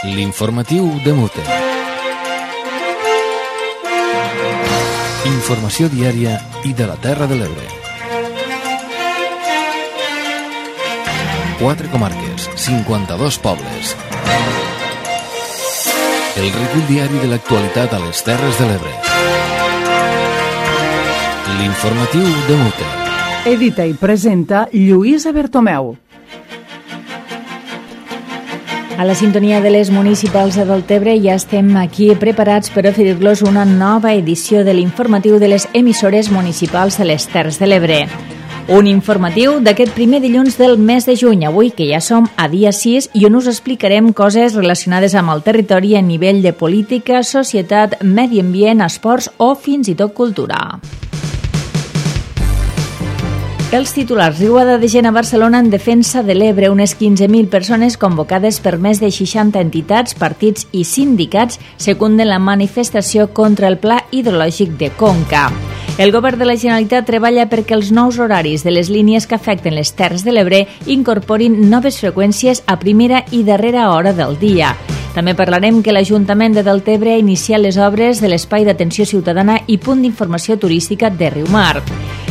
L'informatiu de Mute. Informació diària i de la Terra de l'Ebre. 4 comarques, 52 pobles. El recull diari de l'actualitat a les Terres de l'Ebre. L'informatiu de Mute. Edita i presenta Lluïsa Bertomeu. A la sintonia de les municipals de Deltebre ja estem aquí preparats per oferir-los una nova edició de l'informatiu de les emissores municipals de les Terres de l'Ebre. Un informatiu d'aquest primer dilluns del mes de juny, avui que ja som a dia 6 i on us explicarem coses relacionades amb el territori a nivell de política, societat, medi ambient, esports o fins i tot cultura. Els titulars: riuada de gent a Barcelona en defensa de l'Ebre. Unes 15.000 persones convocades per més de 60 entitats, partits i sindicats secunden la manifestació contra el Pla Hidrològic de Conca. El govern de la Generalitat treballa perquè els nous horaris de les línies que afecten les Terres de l'Ebre incorporin noves freqüències a primera i darrera hora del dia. També parlarem que l'Ajuntament de Deltebre ha iniciat les obres de l'Espai d'Atenció Ciutadana i Punt d'Informació Turística de Riumar,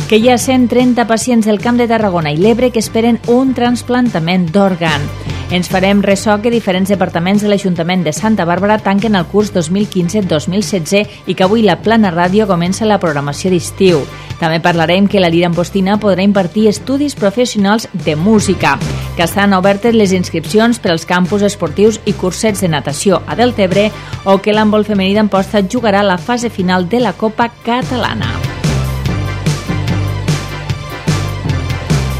que hi ha 130 pacients del Camp de Tarragona i l'Ebre que esperen un trasplantament d'òrgan. Ens farem ressò que diferents departaments de l'Ajuntament de Santa Bàrbara tanquen el curs 2015-2016 i que avui la Plana Ràdio comença la programació d'estiu. També parlarem que la Lira Ampostina podrà impartir estudis professionals de música, que estan obertes les inscripcions per als campus esportius i cursets de natació a Deltebre o que l'handbol femení d'Amposta jugarà la fase final de la Copa Catalana.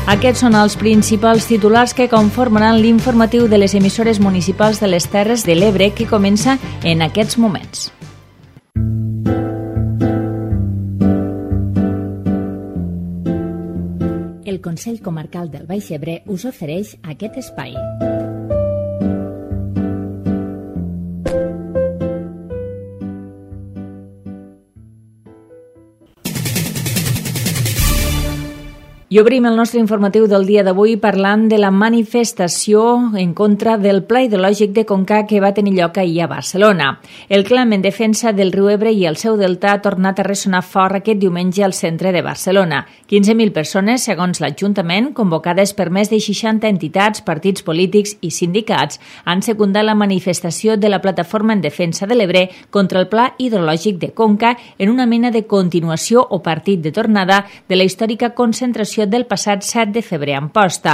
Aquests són els principals titulars que conformaran l'informatiu de les emissores municipals de les Terres de l'Ebre que comença en aquests moments. El Consell Comarcal del Baix Ebre us ofereix aquest espai. I obrim el nostre informatiu del dia d'avui parlant de la manifestació en contra del Pla Hidrològic de Conca que va tenir lloc ahir a Barcelona. El clam en defensa del riu Ebre i el seu delta ha tornat a ressonar fort aquest diumenge al centre de Barcelona. 15.000 persones, segons l'Ajuntament, convocades per més de 60 entitats, partits polítics i sindicats, han secundat la manifestació de la Plataforma en Defensa de l'Ebre contra el Pla Hidrològic de Conca en una mena de continuació o partit de tornada de la històrica concentració del passat 7 de febrer a Amposta.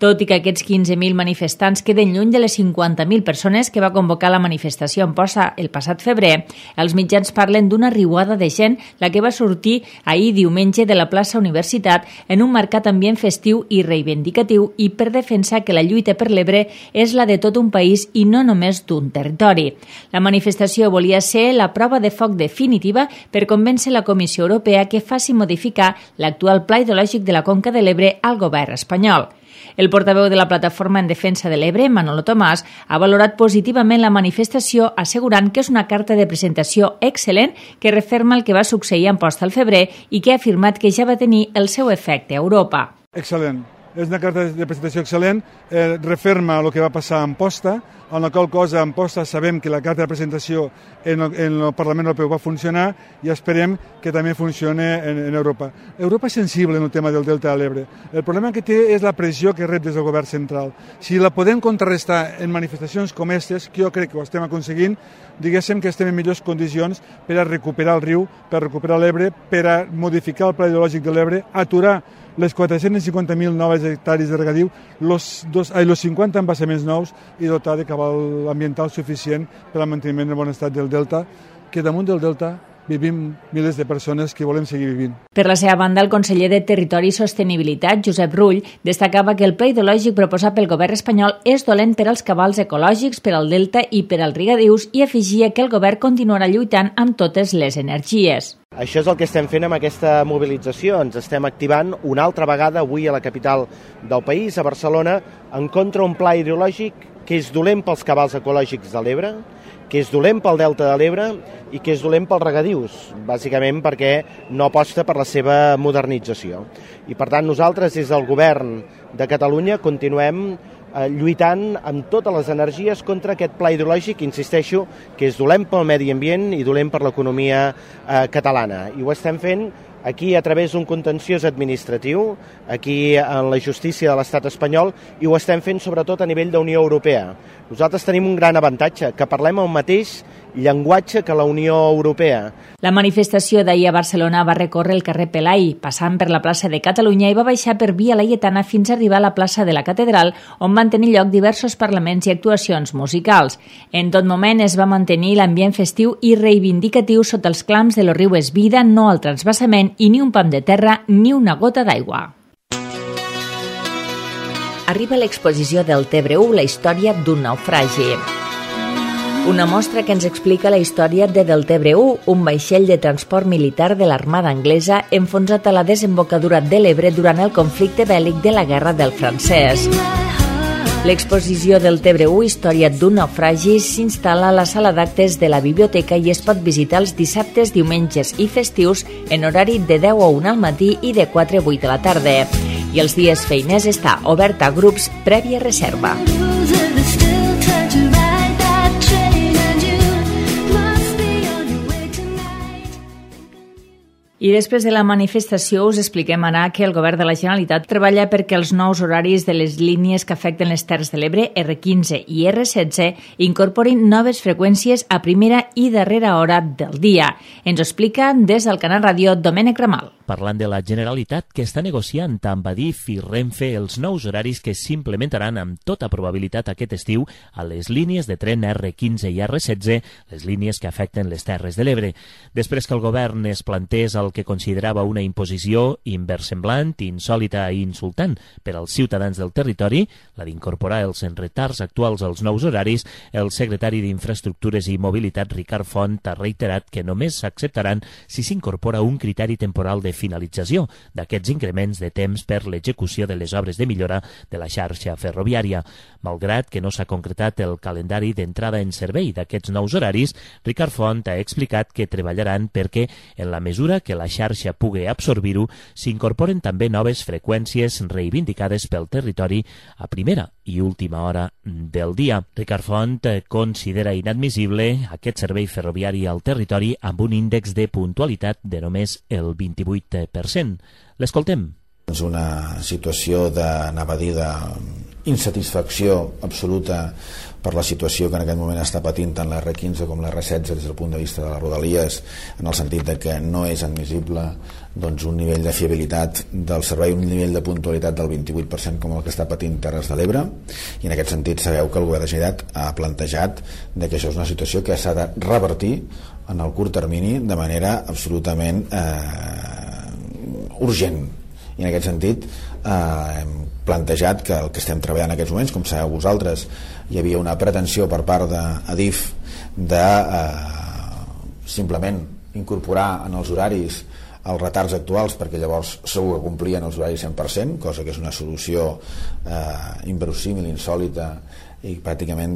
Tot i que aquests 15.000 manifestants queden lluny de les 50.000 persones que va convocar la manifestació a Amposta el passat febrer, els mitjans parlen d'una riuada de gent la que va sortir ahir diumenge de la plaça Universitat en un marcat ambient festiu i reivindicatiu i per defensar que la lluita per l'Ebre és la de tot un país i no només d'un territori. La manifestació volia ser la prova de foc definitiva per convèncer la Comissió Europea que faci modificar l'actual Pla Hidrològic de la Conca de l'Ebre al govern espanyol. El portaveu de la Plataforma en Defensa de l'Ebre, Manolo Tomàs, ha valorat positivament la manifestació assegurant que és una carta de presentació excel·lent que referma el que va succeir a Amposta al febrer i que ha afirmat que ja va tenir el seu efecte a Europa. Excel·lent. És una carta de presentació excel·lent, referma el que va passar a Amposta, en la qual cosa a Amposta sabem que la carta de presentació en el Parlament Europeu va funcionar i esperem que també funcioni en Europa. Europa és sensible en el tema del Delta de l'Ebre. El problema que té és la pressió que rep des del govern central. Si la podem contrarrestar en manifestacions com aquestes, que jo crec que ho estem aconseguint, diguéssim que estem en millors condicions per a recuperar el riu, per a recuperar l'Ebre, per a modificar el Pla Hidrològic de l'Ebre, aturar les 450.000 noves hectàrees de regadiu, los 50 embassaments nous i dotar de cabal ambiental suficient per al manteniment del bon estat del delta, que damunt del delta vivim milers de persones que volem seguir vivint. Per la seva banda, el conseller de Territori i Sostenibilitat, Josep Rull, destacava que el pla hidrològic proposat pel govern espanyol és dolent per als cabals ecològics, per al delta i per als regadius i afegia que el govern continuarà lluitant amb totes les energies. Això és el que estem fent amb aquesta mobilització. Ens estem activant una altra vegada avui a la capital del país, a Barcelona, en contra un pla hidrològic que és dolent pels cabals ecològics de l'Ebre, que és dolent pel delta de l'Ebre i que és dolent pels regadius, bàsicament perquè no aposta per la seva modernització. I per tant nosaltres des del govern de Catalunya continuem lluitant amb totes les energies contra aquest pla hidrològic, insisteixo, que és dolent pel medi ambient i dolent per l'economia catalana. I ho estem fent aquí a través d'un contenciós administratiu, aquí en la justícia de l'estat espanyol, i ho estem fent sobretot a nivell d'Unió Europea. Nosaltres tenim un gran avantatge, que parlem el mateix llenguatge que la Unió Europea. La manifestació d'ahir a Barcelona va recórrer el carrer Pelai, passant per la plaça de Catalunya i va baixar per Via Laietana fins a arribar a la plaça de la Catedral, on van tenir lloc diversos parlaments i actuacions musicals. En tot moment es va mantenir l'ambient festiu i reivindicatiu sota els clams de Los riu és vida, no al transvasament i ni un pam de terra ni una gota d'aigua. Arriba l'exposició del Tebre-U, la història d'un naufragi. Una mostra que ens explica la història de Deltebre-U, un vaixell de transport militar de l'Armada anglesa enfonsat a la desembocadura de l'Ebre durant el conflicte bèl·lic de la Guerra del Francès. L'exposició del Tebre-U, història d'un naufragi, s'instal·la a la sala d'actes de la biblioteca i es pot visitar els dissabtes, diumenges i festius en horari de 10 a 1 al matí i de 4 a 8 de la tarda. I els dies feiners està obert a grups prèvia reserva. I després de la manifestació us expliquem ara que el Govern de la Generalitat treballa perquè els nous horaris de les línies que afecten les Terres de l'Ebre, R15 i R16, incorporin noves freqüències a primera i darrera hora del dia. Ens ho explica des del Canal Ràdio Domènec Ramal. Parlant de la Generalitat, que està negociant amb Adif i Renfe els nous horaris que s'implementaran amb tota probabilitat aquest estiu a les línies de tren R15 i R16, les línies que afecten les Terres de l'Ebre. Després que el govern es plantés el que considerava una imposició inversemblant, insòlita i insultant per als ciutadans del territori, la d'incorporar els retards actuals als nous horaris, el secretari d'Infraestructures i Mobilitat, Ricard Font, ha reiterat que només s'acceptaran si s'incorpora un criteri temporal de finalització d'aquests increments de temps per l'execució de les obres de millora de la xarxa ferroviària. Malgrat que no s'ha concretat el calendari d'entrada en servei d'aquests nous horaris, Ricard Font ha explicat que treballaran perquè, en la mesura que la xarxa pugui absorbir-ho, s'incorporen també noves freqüències reivindicades pel territori a primera i última hora del dia. Ricard Font considera inadmissible aquest servei ferroviari al territori amb un índex de puntualitat de només el 28%. L'escoltem. És una situació d'insatisfacció absoluta per la situació que en aquest moment està patint tant la R15 com la R16 des del punt de vista de les rodalies, en el sentit de que no és admissible un nivell de fiabilitat del servei, un nivell de puntualitat del 28% com el que està patint Terres de l'Ebre, i en aquest sentit sabeu que el Govern de la Generalitat ha plantejat que això és una situació que s'ha de revertir en el curt termini de manera absolutament urgent. I en aquest sentit hem plantejat que el que estem treballant en aquests moments, com sabeu vosaltres, hi havia una pretensió per part d'Adif de simplement incorporar en els horaris els retards actuals, perquè llavors segur que complien els horaris 100%, cosa que és una solució inverosímil, insòlita i pràcticament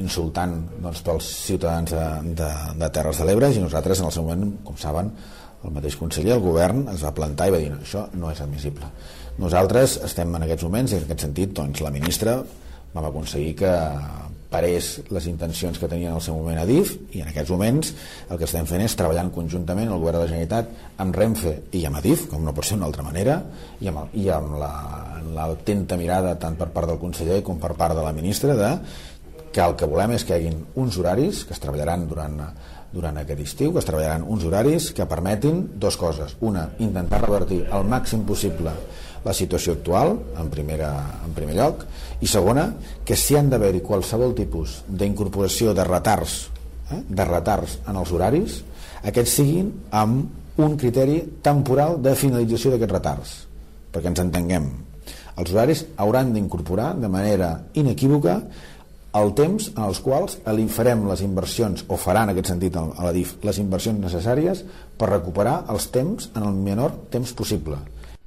insultant pels ciutadans de Terres de l'Ebre. I nosaltres en el seu moment, com saben, el mateix conseller, el govern, es va plantar i va dir no, això no és admissible. Nosaltres estem en aquests moments, i en aquest sentit la ministra vam aconseguir que parés les intencions que tenia en el seu moment Adif, i en aquests moments el que estem fent és treballant conjuntament el Govern de la Generalitat amb Renfe i amb Adif, com no pot ser d'una altra manera, i amb l'atenta mirada tant per part del conseller com per part de la ministra que el que volem és que hi hagi uns horaris que es treballaran durant aquest estiu, que es treballaran uns horaris que permetin dues coses. Una, intentar revertir al màxim possible la situació actual, en primer lloc, i segona, que si han d'haver-hi qualsevol tipus d'incorporació de retards en els horaris, aquests siguin amb un criteri temporal de finalització d'aquests retards, perquè ens entenguem. Els horaris hauran d'incorporar de manera inequívoca el temps en els quals farem les inversions, o faran en aquest sentit a l'Adif, les inversions necessàries per recuperar els temps en el menor temps possible.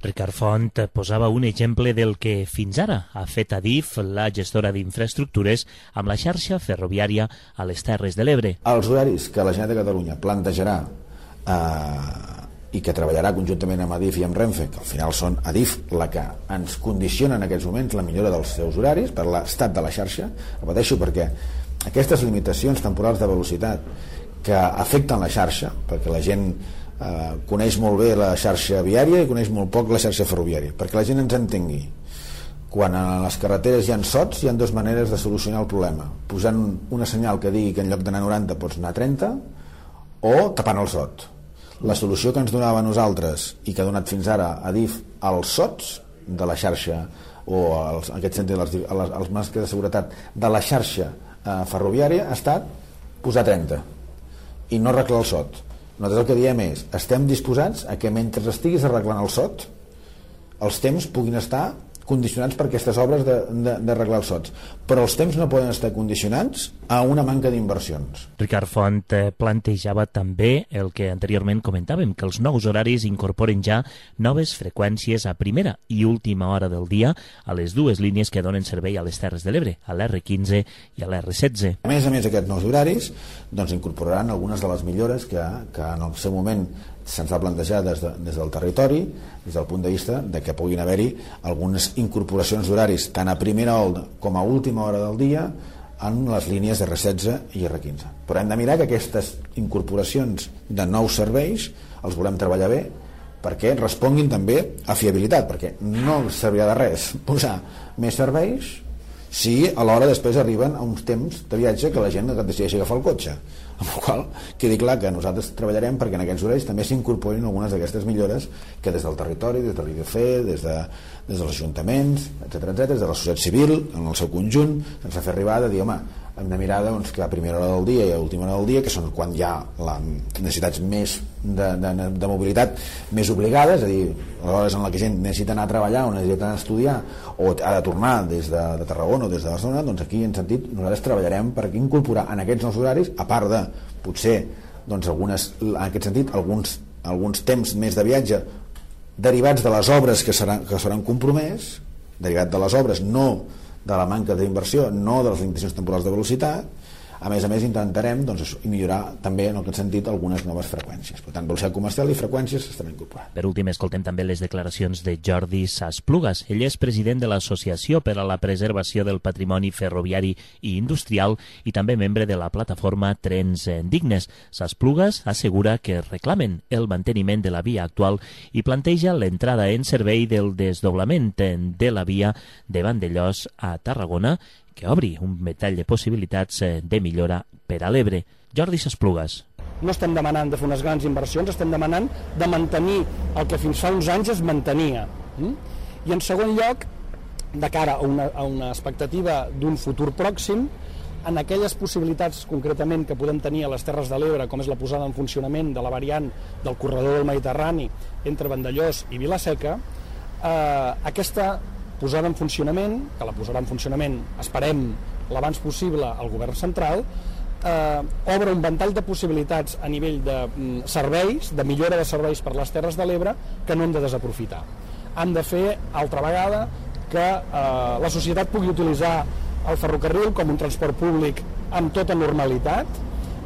Ricard Font posava un exemple del que fins ara ha fet Adif, la gestora d'infraestructures, amb la xarxa ferroviària a les Terres de l'Ebre. Els horaris que la Generalitat de Catalunya plantejarà i que treballarà conjuntament amb Adif i amb Renfe, que al final són Adif la que ens condiciona en aquests moments la millora dels seus horaris per l'estat de la xarxa. Repeteixo, perquè aquestes limitacions temporals de velocitat que afecten la xarxa, perquè la gent coneix molt bé la xarxa viària i coneix molt poc la xarxa ferroviària, perquè la gent ens entengui. Quan a les carreteres hi ha sots, hi ha dues maneres de solucionar el problema: posant una senyal que digui que en lloc d'anar 90 pots anar 30, o tapant el sot. La solució que ens donava a nosaltres i que ha donat fins ara Adif als sots de la xarxa, o en aquest sentit als marcs de seguretat de la xarxa ferroviària, ha estat posar 30 i no arreglar el sot. Nosaltres el que diem és: estem disposats a que mentre estiguis arreglant el sot els temps puguin estar condicionats per aquestes obres d'arreglar els sots, però els temps no poden estar condicionats a una manca d'inversions. Ricard Font plantejava també el que anteriorment comentàvem, que els nous horaris incorporen ja noves freqüències a primera i última hora del dia a les dues línies que donen servei a les Terres de l'Ebre, a l'R15 i a l'R16. A més, aquests nous horaris incorporaran algunes de les millores que en el seu moment se'ns va plantejar des del territori, des del punt de vista de que puguin haver-hi algunes incorporacions d'horaris tant a primera hora com a última hora del dia en les línies R16 i R15. Però hem de mirar que aquestes incorporacions de nous serveis els volem treballar bé perquè responguin també a fiabilitat, perquè no servirà de res posar més serveis si alhora després arriben a uns temps de viatge que la gent decideixi agafar el cotxe. Amb la qual quedi clar que nosaltres treballarem perquè en aquests horaris també s'incorporin algunes d'aquestes millores que des del territori, des de l'IDF, des dels ajuntaments, etc., des de la societat civil, en el seu conjunt, ens fa fer arribar de dir, home, hem de mirar que a primera hora del dia i a última hora del dia, que són quan hi ha les necessitats més de mobilitat més obligades, és a dir, a l'hora en la que gent necessita anar a treballar o necessita anar a estudiar o ha de tornar des de Tarragona o des de Barcelona, doncs aquí en sentit nosaltres treballarem per incorporar en aquests nous horaris, a part de potser en aquest sentit alguns temps més de viatge derivats de les obres que seran compromès, derivat de les obres, no de la manca d'inversió, no de les limitacions temporals de velocitat. A més intentarem millorar també en aquest sentit algunes noves freqüències. Per tant, velocitat comercial i freqüències s'estaran incorporant. Per últim, escoltem també les declaracions de Jordi Sasplugas. Ell és president de l'Associació per a la Preservació del Patrimoni Ferroviari i Industrial i també membre de la plataforma Trens Dignes. Sasplugas assegura que reclamen el manteniment de la via actual i planteja l'entrada en servei del desdoblament de la via de Vandellòs a Tarragona, que obri un ventall de possibilitats de millora per a l'Ebre. Jordi Sasplugas. No estem demanant de fer unes grans inversions, estem demanant de mantenir el que fins fa uns anys es mantenia. I en segon lloc, de cara a una expectativa d'un futur pròxim, en aquelles possibilitats concretament que podem tenir a les Terres de l'Ebre, com és la posada en funcionament de la variant del corredor del Mediterrani entre Vandellòs i Vila-seca, aquesta posada en funcionament, que la posarà en funcionament, esperem, l'abans possible al govern central, obre un ventall de possibilitats a nivell de serveis, de millora de serveis per les Terres de l'Ebre, que no hem de desaprofitar. Han de fer, altra vegada, que la societat pugui utilitzar el ferrocarril com un transport públic amb tota normalitat.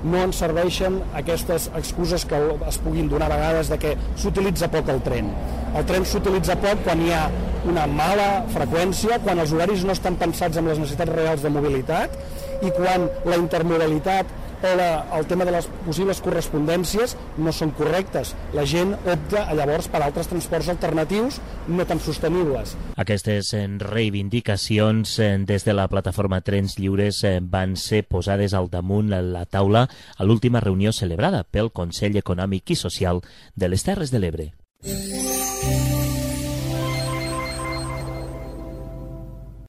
No ens serveixen aquestes excuses que es puguin donar a vegades de que s'utilitza poc el tren. El tren s'utilitza poc quan hi ha una mala freqüència, quan els horaris no estan pensats amb les necessitats reals de mobilitat i quan la intermodalitat o el tema de les possibles correspondències no són correctes. La gent opta llavors per altres transports alternatius no tan sostenibles. Aquestes reivindicacions des de la plataforma Trens Lliures van ser posades al damunt la taula a l'última reunió celebrada pel Consell Econòmic i Social de les Terres de l'Ebre.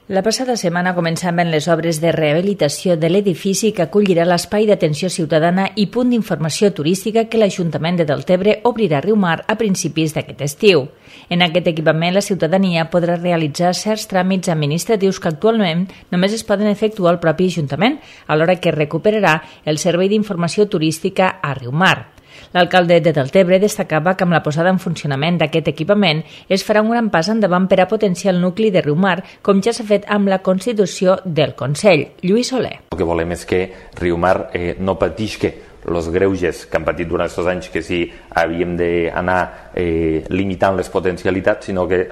La passada setmana començaven les obres de rehabilitació de l'edifici que acollirà l'espai d'atenció ciutadana i punt d'informació turística que l'Ajuntament de Deltebre obrirà a Riumar a principis d'aquest estiu. En aquest equipament, la ciutadania podrà realitzar certs tràmits administratius que actualment només es poden efectuar al propi Ajuntament, alhora que recuperarà el servei d'informació turística a Riumar. L'alcalde de Deltebre destacava que amb la posada en funcionament d'aquest equipament es farà un gran pas endavant per a potenciar el nucli de Riumar, com ja s'ha fet amb la constitució del Consell. Lluís Soler. El que volem és que Riumar no patisca els greuges que han patit durant aquests anys, que sí havíem d'anar limitant les potencialitats, sinó que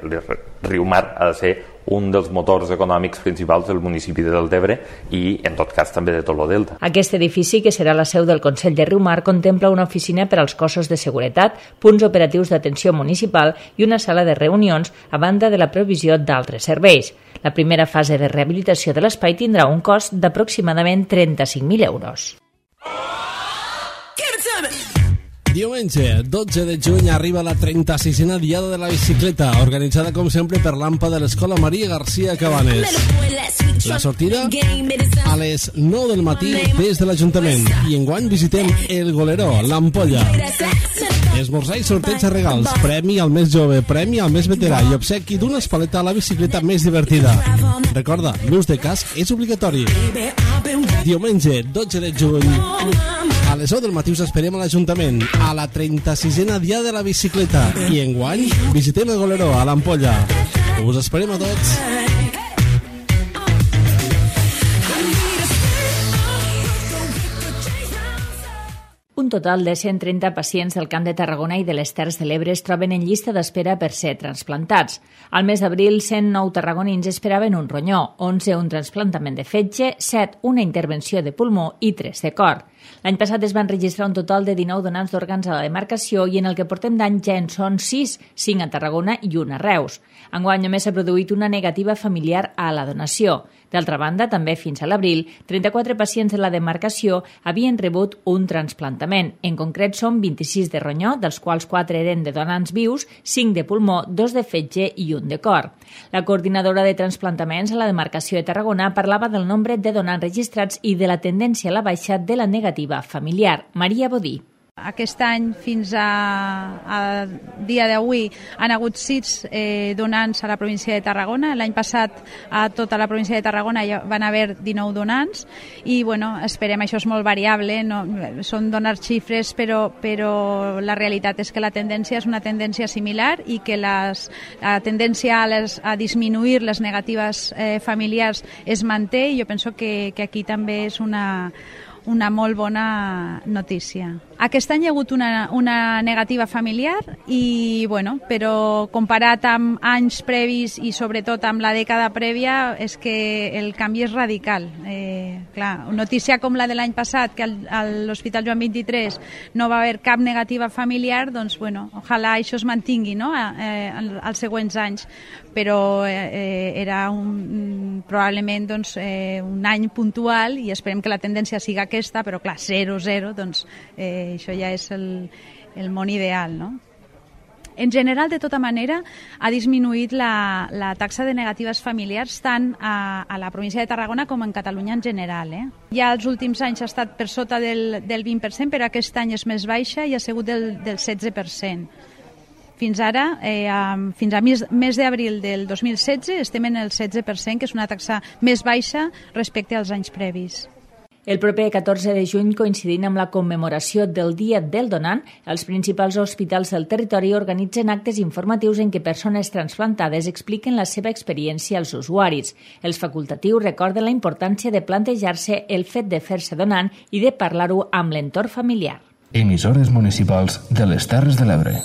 Riumar ha de ser un dels motors econòmics principals del municipi de Deltebre i, en tot cas, també de tot el Delta. Aquest edifici, que serà la seu del Consell de Riumar, contempla una oficina per als cossos de seguretat, punts operatius d'atenció municipal i una sala de reunions, a banda de la provisió d'altres serveis. La primera fase de rehabilitació de l'espai tindrà un cost d'aproximadament 35.000 euros. Diumenge, 12 de juny, arriba la 36a Diada de la Bicicleta, organitzada com sempre per l'AMPA de l'Escola Maria García Cabanes. La sortida a les 9 del matí des de l'Ajuntament i enguany visitem el Goleró, l'Ampolla. Esmorzar i sorteig de regals, premi al més jove, premi al més veterà i obsequi d'una espaleta a la bicicleta més divertida. Recorda, l'ús de casc és obligatori. Diumenge, 12 de juny, a les 9 del matí us esperem a l'Ajuntament, a la 36a Diada de la Bicicleta. I enguany visitem el Goleró, a l'Ampolla. Us esperem a tots. Un total de 130 pacients del Camp de Tarragona i de les Terres de l'Ebre es troben en llista d'espera per ser transplantats. Al mes d'abril, 109 tarragonins esperaven un ronyó, 11 un trasplantament de fetge, 7 una intervenció de pulmó i 3 de cor. L'any passat es van registrar un total de 19 donants d'òrgans a la demarcació i en el que portem d'any ja en són 6, 5 a Tarragona i 1 a Reus. Enguany només s'ha produït una negativa familiar a la donació. D'altra banda, també fins a l'abril, 34 pacients de la demarcació havien rebut un trasplantament. En concret, són 26 de ronyó, dels quals 4 eren de donants vius, 5 de pulmó, 2 de fetge i 1 de cor. La coordinadora de transplantaments a la demarcació de Tarragona parlava del nombre de donants registrats i de la tendència a la baixa de la negativa familiar. Maria Bodí. Aquest any, fins a dia d'avui, han hagut 6 donants a la província de Tarragona. L'any passat, a tota la província de Tarragona van haver 19 donants i, bueno, esperem, això és molt variable, no, són donar xifres, però la realitat és que la tendència és una tendència similar i que la tendència a disminuir les negatives familiars es manté i jo penso que aquí també és una molt bona notícia. Aquest any hi ha hagut una negativa familiar i, bueno, però comparat amb anys previs i sobretot amb la dècada prèvia és que el canvi és radical. Clar, notícia com la de l'any passat, que a l'Hospital Joan 23 no va haver cap negativa familiar, doncs, bueno, ojalà això es mantingui, no?, als següents anys, però era probablement doncs, un any puntual i esperem que la tendència siga aquesta, però clar, 0-0, doncs això ja és el món ideal, no? En general, de tota manera, ha disminuït la taxa de negatives familiars tant a la província de Tarragona com en Catalunya en general. Ja els últims anys ha estat per sota del 20%, però aquest any és més baixa i ha sigut del 16%. Fins ara, fins a mes d'abril del 2016, estem en el 16%, que és una taxa més baixa respecte als anys previs. El proper 14 de juny, coincidint amb la commemoració del Dia del Donant, els principals hospitals del territori organitzen actes informatius en què persones transplantades expliquen la seva experiència als usuaris. Els facultatius recorden la importància de plantejar-se el fet de fer-se donant i de parlar-ho amb l'entorn familiar. Emissores municipals de les Terres de l'Ebre.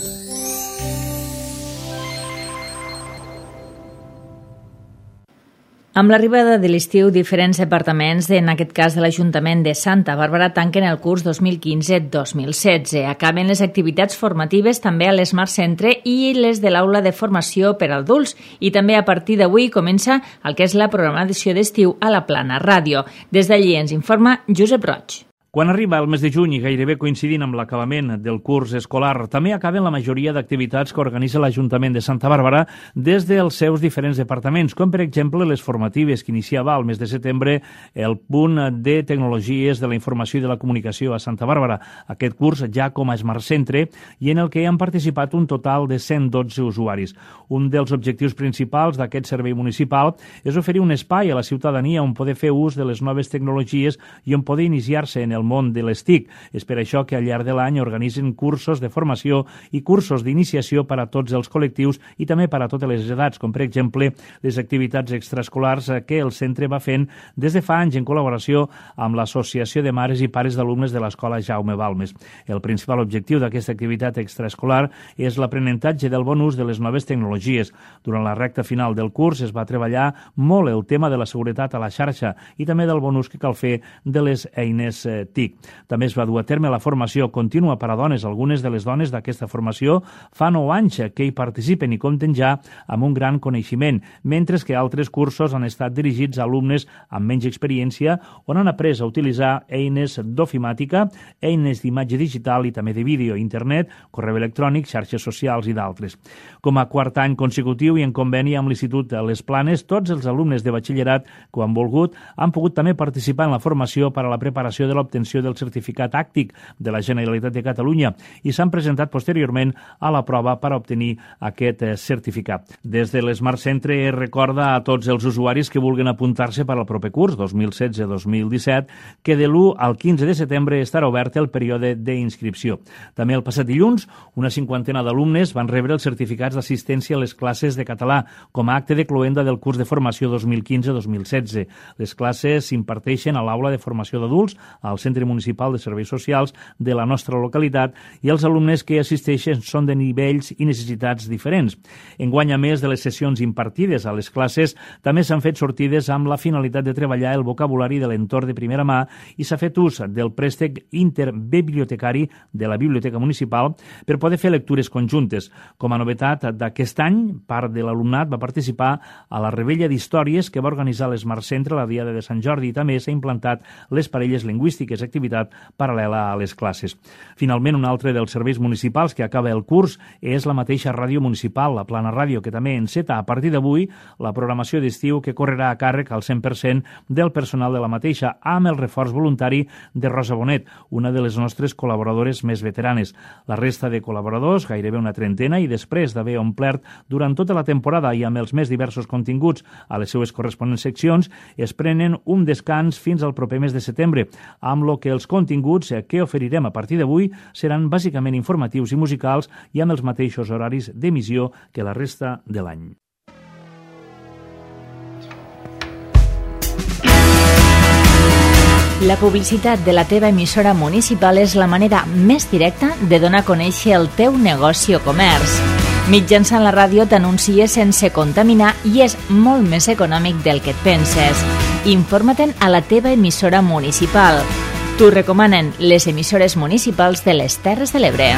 Amb l'arribada de l'estiu, diferents departaments, en aquest cas de l'Ajuntament de Santa Bàrbara, tanquen el curs 2015-2016. Acaben les activitats formatives també a l'Smart Centre i les de l'aula de formació per a adults. I també a partir d'avui comença el que és la programació d'estiu a la Plana Ràdio. Des d'allí ens informa Josep Roig. Quan arriba el mes de juny, gairebé coincidint amb l'acabament del curs escolar, també acaben la majoria d'activitats que organitza l'Ajuntament de Santa Bàrbara des dels seus diferents departaments, com per exemple les formatives que iniciava al mes de setembre el punt de tecnologies de la informació i de la comunicació a Santa Bàrbara. Aquest curs ja com a Smart Centre i en el que han participat un total de 112 usuaris. Un dels objectius principals d'aquest servei municipal és oferir un espai a la ciutadania on poder fer ús de les noves tecnologies i on poder iniciar-se en el món de les TIC. És per això que al llarg de l'any organitzen cursos de formació i cursos d'iniciació per a tots els col·lectius i també per a totes les edats, com per exemple les activitats extraescolars que el centre va fent des de fa anys en col·laboració amb l'Associació de Mares i Pares d'Alumnes de l'Escola Jaume Balmes. El principal objectiu d'aquesta activitat extraescolar és l'aprenentatge del bon ús de les noves tecnologies. Durant la recta final del curs es va treballar molt el tema de la seguretat a la xarxa i també del bon ús que cal fer de les eines TIC. També es va dur a terme la formació contínua per a dones. Algunes de les dones d'aquesta formació fa 9 anys que hi participen i compten ja amb un gran coneixement, mentre que altres cursos han estat dirigits a alumnes amb menys experiència on han après a utilitzar eines d'ofimàtica, eines d'imatge digital i també de vídeo, internet, correu electrònic, xarxes socials i d'altres. Com a quart any consecutiu i en conveni amb l'Institut Les Planes, tots els alumnes de batxillerat que ho han volgut han pogut també participar en la formació per a la preparació de l'obtenció del certificat àctic de la Generalitat de Catalunya i s'han presentat posteriorment a la prova per a obtenir aquest certificat. Des de l'Smart Centre es recorda a tots els usuaris que vulguin apuntar-se per al proper curs 2016-2017 que de l'1 al 15 de setembre estarà obert el període d'inscripció. També el passat dilluns, una 50ena d'alumnes van rebre els certificats d'assistència a les classes de català com a acte de cloenda del curs de formació 2015-2016. Les classes s'imparteixen a l'aula de formació d'adults, al Centre Municipal de Serveis Socials de la nostra localitat i els alumnes que assisteixen són de nivells i necessitats diferents. Enguany, a més de les sessions impartides a les classes, també s'han fet sortides amb la finalitat de treballar el vocabulari de l'entorn de primera mà i s'ha fet ús del préstec interbibliotecari de la Biblioteca Municipal per poder fer lectures conjuntes. Com a novetat d'aquest any, part de l'alumnat va participar a la rebella d'històries que va organitzar l'Smart Centre la Diada de Sant Jordi i també s'ha implantat les parelles lingüístiques, activitat paral·lela a les classes. Finalment, un altre dels serveis municipals que acaba el curs és la mateixa ràdio municipal, la Plana Ràdio, que també enceta a partir d'avui la programació d'estiu que correrà a càrrec al 100% del personal de la mateixa, amb el reforç voluntari de Rosa Bonet, una de les nostres col·laboradores més veteranes. La resta de col·laboradors, gairebé una trentena, i després d'haver omplert durant tota la temporada i amb els més diversos continguts a les seues corresponents seccions, es prenen un descans fins al proper mes de setembre, amb lo que els continguts que oferirem a partir d'avui seran bàsicament informatius i musicals i amb els mateixos horaris d'emissió que la resta de l'any. La publicitat de la teva emissora municipal és la manera més directa de donar a conèixer el teu negoci o comerç. Mitjançant la ràdio t'anuncies sense contaminar i és molt més econòmic del que et penses. Informa-te'n a la teva emissora municipal. T'ho recomanen les emissores municipals de les Terres de l'Ebre.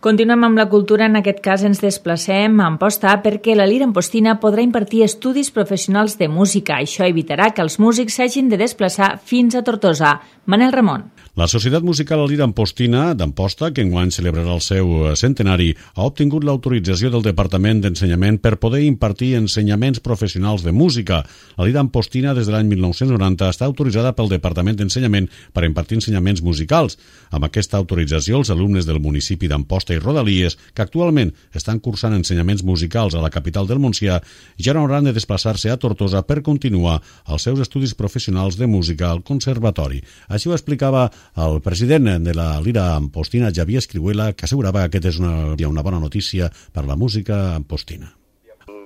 Continuem amb la cultura, en aquest cas ens desplacem a Amposta perquè la Lira Ampostina podrà impartir estudis professionals de música. Això evitarà que els músics s'hagin de desplaçar fins a Tortosa. Manel Ramon. La Societat Musical Lira Ampostina d'Amposta, que enguany celebrarà el seu centenari, ha obtingut l'autorització del Departament d'Ensenyament per poder impartir ensenyaments professionals de música. La Lira Ampostina, des de l'any 1990, està autoritzada pel Departament d'Ensenyament per impartir ensenyaments musicals. Amb aquesta autorització, els alumnes del municipi d'Amposta i Rodalies, que actualment estan cursant ensenyaments musicals a la capital del Montsià, ja no hauran de desplaçar-se a Tortosa per continuar els seus estudis professionals de música al conservatori. Així ho explicava el president de la Lira Ampostina, Javier Escrihuela, que assegurava que aquesta és una bona notícia per la música ampostina.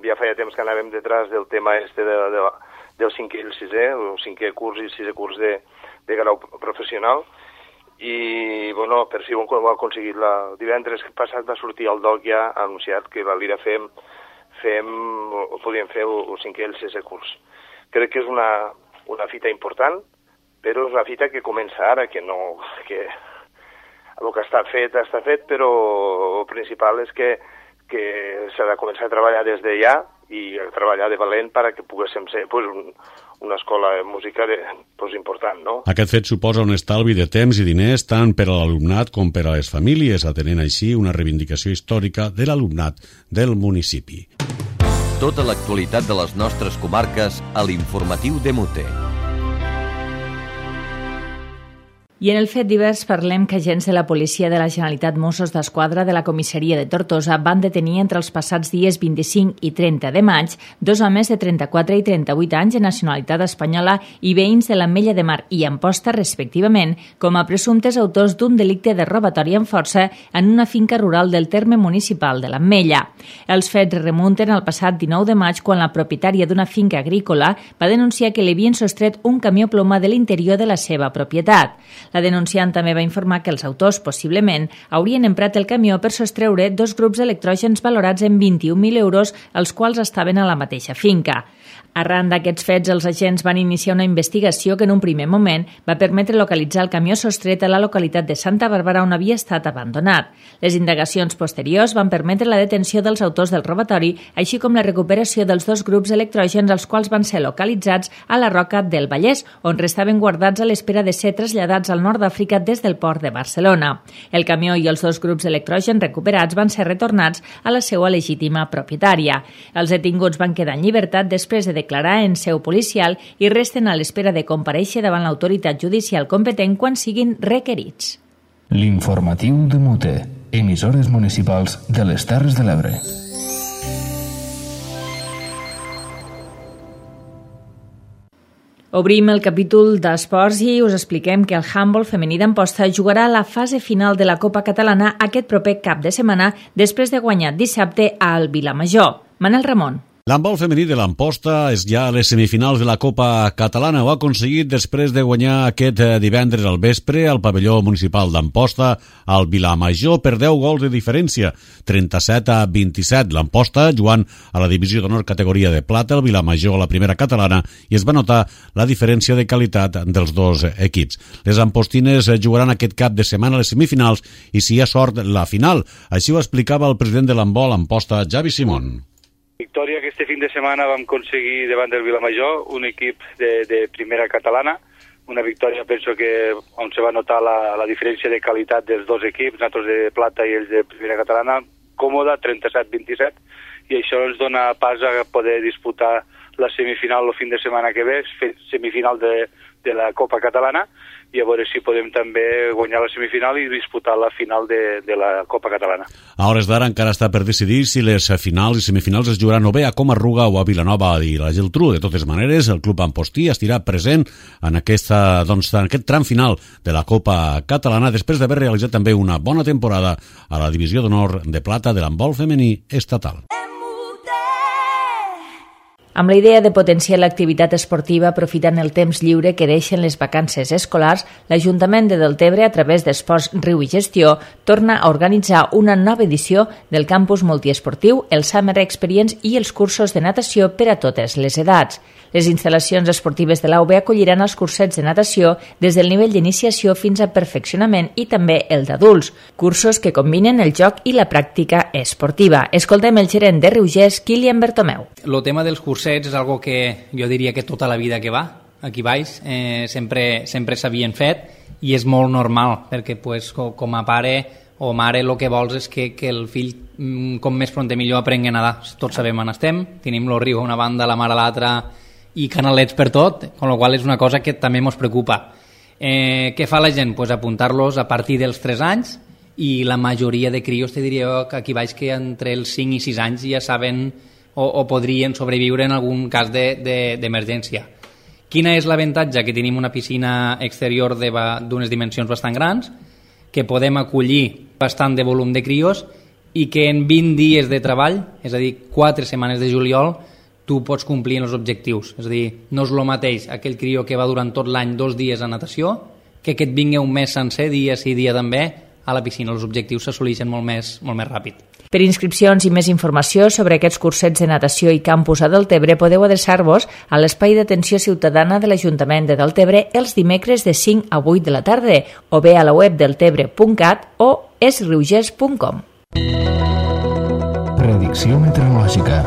Ja feia temps que anàvem detrás del tema del 5è i el 6è, el 5è curs i el 6è curs de grau professional, i bueno, per fi ho hem aconseguit. El divendres passat va sortir el DOC ja anunciat que la Lira podíem fer el 5è i el 6è curs. Crec que és una fita important, però és una fita que comença ara, que el que està fet, però el principal és que s'ha de començar a treballar des de ja i a treballar de valent perquè poguéssim ser una escola de música important, no? Aquest fet suposa un estalvi de temps i diners tant per a l'alumnat com per a les famílies, atenent així una reivindicació històrica de l'alumnat del municipi. Tota l'actualitat de les nostres comarques a l'informatiu de Mute. I en el fet divers parlem que agents de la Policia de la Generalitat Mossos d'Esquadra de la comissaria de Tortosa van detenir entre els passats dies 25 i 30 de maig 2 homes de 34 i 38 anys de nacionalitat espanyola i veïns de l'Ametlla de Mar i Amposta, respectivament, com a presumptes autors d'un delicte de robatori amb força en una finca rural del terme municipal de l'Ametlla. Els fets remunten al passat 19 de maig quan la propietària d'una finca agrícola va denunciar que li havien sostret un camió ploma de l'interior de la seva propietat. La denunciant també va informar que els autors, possiblement, haurien emprat el camió per sostreure 2 grups d'electrògens valorats en 21.000 euros, els quals estaven a la mateixa finca. Arran d'aquests fets, els agents van iniciar una investigació que en un primer moment va permetre localitzar el camió sostret a la localitat de Santa Bàrbara on havia estat abandonat. Les indagacions posteriors van permetre la detenció dels autors del robatori, així com la recuperació dels 2 grups electrògens, els quals van ser localitzats a la Roca del Vallès, on restaven guardats a l'espera de ser traslladats al nord d'Àfrica des del port de Barcelona. El camió i els 2 grups d'electrògens recuperats van ser retornats a la seva legítima propietària. Els detinguts van quedar en llibertat després de declarar en seu policial i resten a l'espera de comparèixer davant l'autoritat judicial competent quan siguin requerits. L'informatiu de Mute, emissores municipals de les Terres de l'Ebre. Obrim el capítol d'esports i us expliquem que el handbol femení d'Amposta jugarà a la fase final de la Copa Catalana aquest proper cap de setmana després de guanyar dissabte al Vilamajor. Manel Ramon. L'handbol femení de l'Amposta és ja a les semifinals de la Copa Catalana. Ho ha aconseguit després de guanyar aquest divendres al vespre al pavelló municipal d'Amposta al Vilamajor per 10 gols de diferència, 37-27. L'Amposta jugant a la divisió d'honor categoria de plata, el Vilamajor a la primera catalana, i es va notar la diferència de qualitat dels 2 equips. Les ampostines jugaran aquest cap de setmana a les semifinals i, si hi ha sort, la final. Així ho explicava el president de l'handbol Amposta, Javi Simón. Victòria que este fin de setmana vam aconseguir davant del Vilamajor, un equip de primera catalana, una victòria penso que on se va notar la diferència de qualitat dels 2 equips, nosaltres de plata i ells de primera catalana, còmoda, 37-27, i això ens dona pas a poder disputar la semifinal el fin de setmana que ve, semifinal de la Copa Catalana, i a veure si podem també guanyar la semifinal i disputar la final de la Copa Catalana. A hores d'ara encara està per decidir si les finals i semifinals es jugaran o bé a Comarruga o a Vilanova i la Geltrú. De totes maneres, el club ampostí estirà present en aquest tram final de la Copa Catalana després d'haver realitzat també una bona temporada a la divisió d'honor de plata de l'handbol femení estatal. Amb la idea de potenciar l'activitat esportiva aprofitant el temps lliure que deixen les vacances escolars, l'Ajuntament de Deltebre, a través d'Esports Riu i Gestió, torna a organitzar una nova edició del campus multiesportiu, el Summer Experience i els cursos de natació per a totes les edats. Les instal·lacions esportives de l'AUB acolliran els cursets de natació des del nivell d'iniciació fins a perfeccionament i també el d'adults, cursos que combinen el joc i la pràctica esportiva. Escoltem el gerent de Riugès, Kilian Bertomeu. El tema dels cursets és algo que jo diria que tota la vida que va, aquí baix, sempre s'havien fet i és molt normal perquè pues, com a pare o mare el que vols és que el fill com més pront millor aprengui a nedar. Tots sabem on estem, tenim el riu a una banda, la mar a l'altra i canalets per tot, amb la qual és una cosa que també ens preocupa. Què fa la gent? Pues apuntar-los a partir dels 3 anys i la majoria de crios, te diria que aquí baix que entre els 5 i 6 anys ja saben o podrien sobreviure en algun cas d'emergència. Quina és l'avantatge? Que tenim una piscina exterior d'unes dimensions bastant grans, que podem acollir bastant de volum de crios i que en 20 dies de treball, és a dir, 4 setmanes de juliol, tu pots complir els objectius. És a dir, no és el mateix aquell crió que va durant tot l'any 2 dies a natació que et vingui un mes sencer, dia sí, dia també, a la piscina. Els objectius s'assoleixen molt més ràpid. Per inscripcions i més informació sobre aquests cursets de natació i campus a Deltebre podeu adreçar-vos a l'espai d'atenció ciutadana de l'Ajuntament de Deltebre els dimecres de 5 a 8 de la tarda o bé a la web deltebre.cat o esriugers.com. Predicció meteorològica.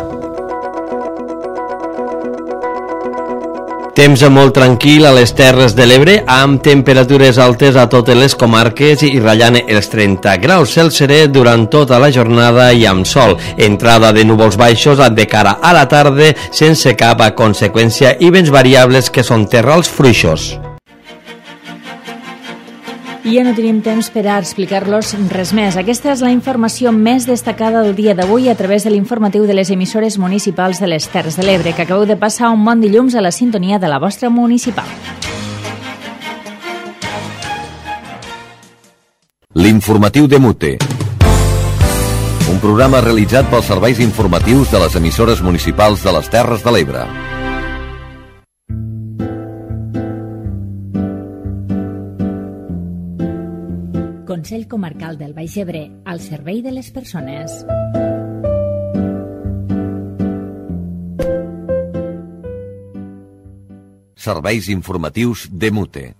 Temps molt tranquil a les Terres de l'Ebre, amb temperatures altes a totes les comarques i ratllant els 30 graus. Cel serè durant tota la jornada i amb sol. Entrada de núvols baixos de cara a la tarda sense cap conseqüència i vents variables que són terrals fluixos. I ja no tenim temps per a explicar-los res més. Aquesta és la informació més destacada del dia d'avui a través de l'informatiu de les emissores municipals de les Terres de l'Ebre, que acabeu de passar un bon dilluns a la sintonia de la vostra municipal. L'informatiu de Mute. Un programa realitzat pels serveis informatius de les emissores municipals de les Terres de l'Ebre. Consell Comarcal del Baix Ebre, al servei de les persones. Serveis informatius de Mute.